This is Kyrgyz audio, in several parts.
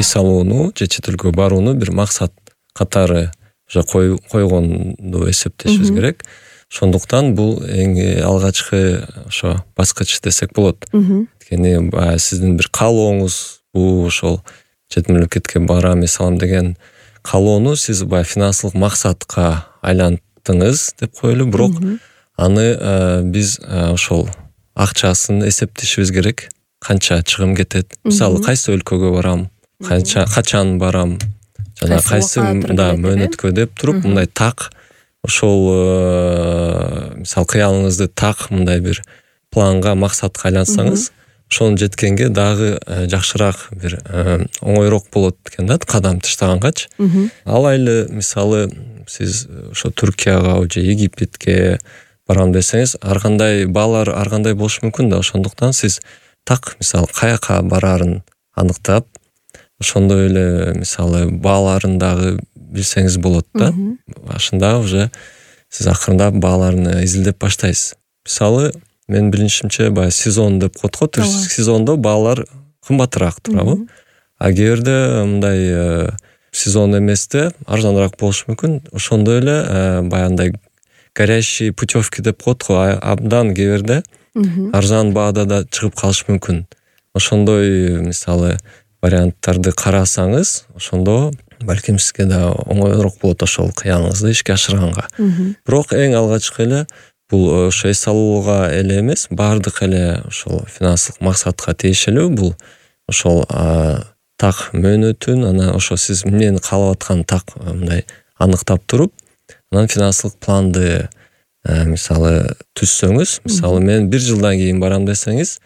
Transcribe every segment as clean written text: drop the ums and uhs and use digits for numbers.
эс алууну же чет элге барууну бир максат катары уже койгонду эсептешибиз керек. Ошондуктан бул эң алгачкы ошо баскыч десек болот. Анткени баягы сиздин бир каалооңуз бул ошол чет мамлекетке барам, эс алам деген каалоону сиз баягы финансылык максатка айлантыңыз деп коелу, бирок аны биз ошол акчасын эсептешибиз керек. Канча чыгым кетет? Мисалы, кайсы өлкөгө барам, качан барам, жана кайсы мөөнөткө деп туруп мындай так ошол мисалы кыялыңызды так мындай бир планга, максатка айлансаңыз, ошону жеткенге дагы жакшыраак бир оңойрок болот экен да, кадам таштагангачы. Алайлы мисалы сиз ошо Түркияга же Египетке барам десеңиз, ар кандай баалар ар кандай болушу мүмкүн да. Ошондуктан сиз так мисалы каяка бараарын аныктап, ошондой эле мисалы бааларын дагы билсеңиз болот да. Башында уже сиз акырындап бааларын изилдеп баштайсыз. Мисалы, мен билишимче баягы сезон деп коет го, туристтик сезондо баалар кымбатыраак турабы. А кээде мындай сезон эместе арзаныраак болушу мүмкүн. Ошондой эле баягындай горящий путевки деп коет го, абдан кээде арзан баада да чыгып калышы мүмкүн. Ошондой мисалы варианттарды карасаңыз, ошондо балким сизге да оңойрок болот ошол кыялыңызды ишке ашырганга. Бирок эң алгачкы эле бул ошо эс алууга эле эмес, бардык эле ошол финансылык максатка тиешелүү. Бул ошол так мөөнөтүн, анан ошо сиз эмнени каалап аткан так мындай аныктап туруп, анан финансылык планды мисалы түзсөңүз, мисалы мен 1 жылдан кийин барам десеңиз,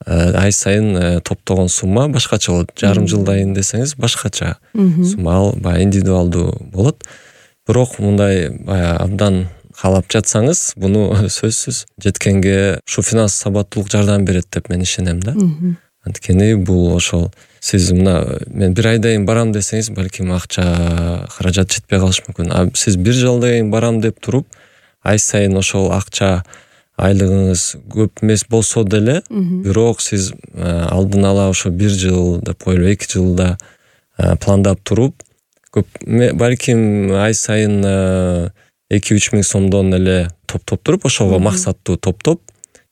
ай сайын топтогон сумма башкача болот. Жарым жылдан десеңиз башкача сумма, ал баягы индивидуалдуу болот. Бирок мындай баягы абдан каалап жатсаңыз, буну сөзсүз жеткенге ушу финанс сабаттуулук жардам берет деп мен ишенем да. Анткени бул ошол сиз мына мен 1 айдан барам десеңиз, балким акча каражат жетпей калышы мүмкүн. А сиз 1 жылдан барам деп туруп, ай сайын ошол акча айлыгыңыз көп эмес болсо деле, бирок сиз алдын ала ошо 1 жыл деп коелу, 2 жылда пландап туруп, көп балким ай сайын 2-3 миң сомдон эле топтоп туруп, ошого максаттуу топтоп,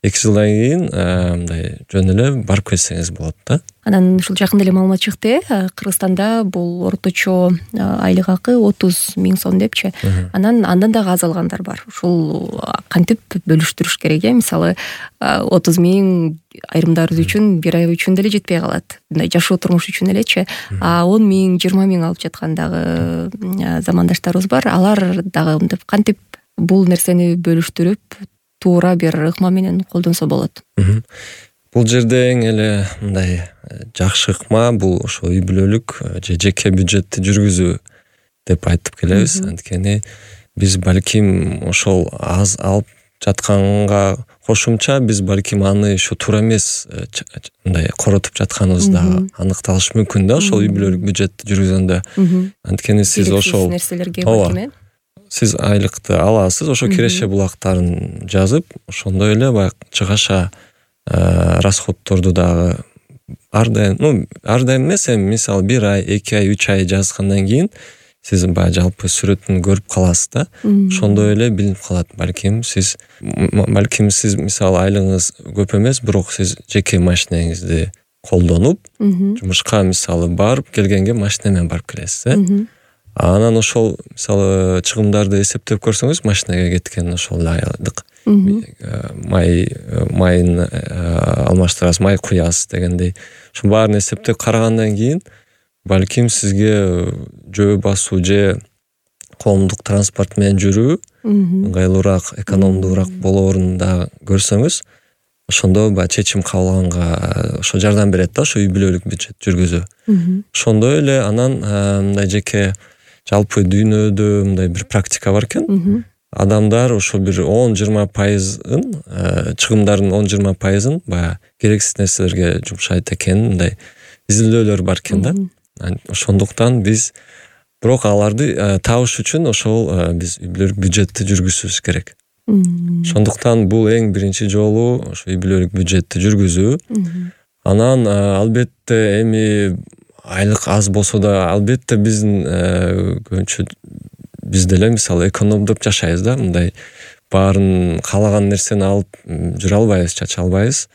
2 жылдан кийин мындай жөн эле барып келсеңиз болот да. Анан ушул жакында эле маалымат чыкты, Кыргызстанда бул орточо айлык акы 30 миң сом депчи. Анан андан дагы аз алгандар бар. Ушул кантип бөлүштүрүш керек? Мисалы 30 миң айрымдарыбыз үчүн 1 ай үчүн деле жетпей калат. Мындай жашоо турмуш үчүн элечи. 10 миң, 20 миң алып жаткан дагы замандаштарыбыз бар. Алар дагы мынтип кантип бул нерсени бөлүштүрүп туура бир ыкма менен колдонсо болот. Бул жерде эң эле мындай жакшы ыкма бул ошо үй бүлөлүк же жеке бюджетти жүргүзүү деп айтып келебиз. Анткени биз балким ошол аз алып жатканга кошумча биз балким аны ошо туура эмес мындай коротуп жатканыбыз да аныкталышы мүмкүн да, ошол үй бүлөлүк бюджетти жүргүзгөндө. Анткени сиз ошол нерселерге балким сиз айлыкты аласыз, ошо киреше булактарын жазып, ошондой эле баягы чыгаша расходторду дагы ар дайым эмес, эми мисалы 1 ай, 2 ай, 3 ай жазгандан кийин сиз баягы жалпы сүрөтүн көрүп каласыз да. Ошондой эле билинип калат. Балким сиз мисалы айлыгыңыз көп эмес, бирок сиз жеке машинеңизди колдонуп, жумушка мисалы барып келгенге машина менен барып келесиз. Анан ошол мисалы чыгымдарды эсептеп көрсөңүз, машинага кеткен ошол айлык майын алмаштырасыз, май куясыз дегендей. Ошо баарын эсептеп карагандан кийин балким сизге жөө басуу же коомдук транспорт менен жүрүү ыңгайлуураак, экономдуураак болоорун да көрсөңүз, ошондо баягы чечим кабыл ошо жардам берет да, ошо үй бүлөлүк бюджет жүргүзүү. Ошондой эле анан мындай жеке жалпы дүйнөдө мындай бир практика бар экен. Адамдар ошо бир 10-20% чыгымдардын 10-20% баягы керексиз нерселерге жумшайт экен, мындай изилдөөлөр бар экен да. Ошондуктан биз бирок аларды табыш үчүн ошол биз үй бүлөлүк бюджетти жүргүзүбүз керек. Ошондуктан бул эң биринчи жолу ошо үй бүлөлүк бюджетти жүргүзүү. Анан албетте эми айлык аз болсо да албетте биздин көбүнчө биз деле мисалы экономдоп жашайбыз да, мындай баарын каалаган нерсени алып жүрө албайбыз, чача албайбыз.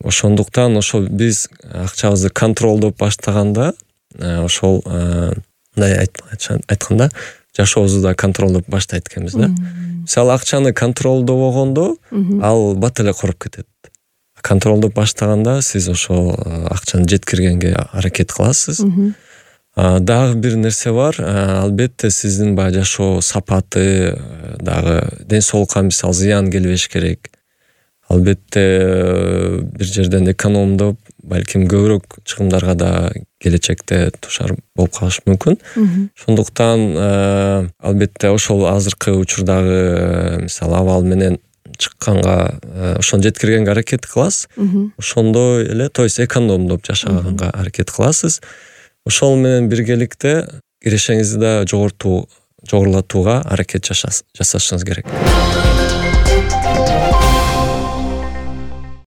Ошондуктан ошол биз акчабызды контролдоп баштаганда ошол мындай айтканда жашообузду да контролдоп баштайт экенбиз да. Мисалы акчаны контролдобогондо ал бат эле короп кетет. Контролдоп баштаганда сиз ошол акчаны жеткиргенге аракет кыласыз. Дагы бир нерсе бар, албетте сиздин баягы жашоо сапаты дагы ден соолукка мисалы зыян келбеш керек. Албетте бир жерден экономдоп, балким көбүрөөк чыгымдарга да келечекте тушар болуп калыш мүмкүн. Ошондуктан албетте ошол азыркы учурдагы мисалы абал менен чыкканга ошону жеткиргенге аракет кыласыз. Ошондой эле, то есть экономдоп жашаганга аракет кыласыз. Ошол менен биргеликте кирешеңизди да жогорулатууга аракет жасашыңыз керек.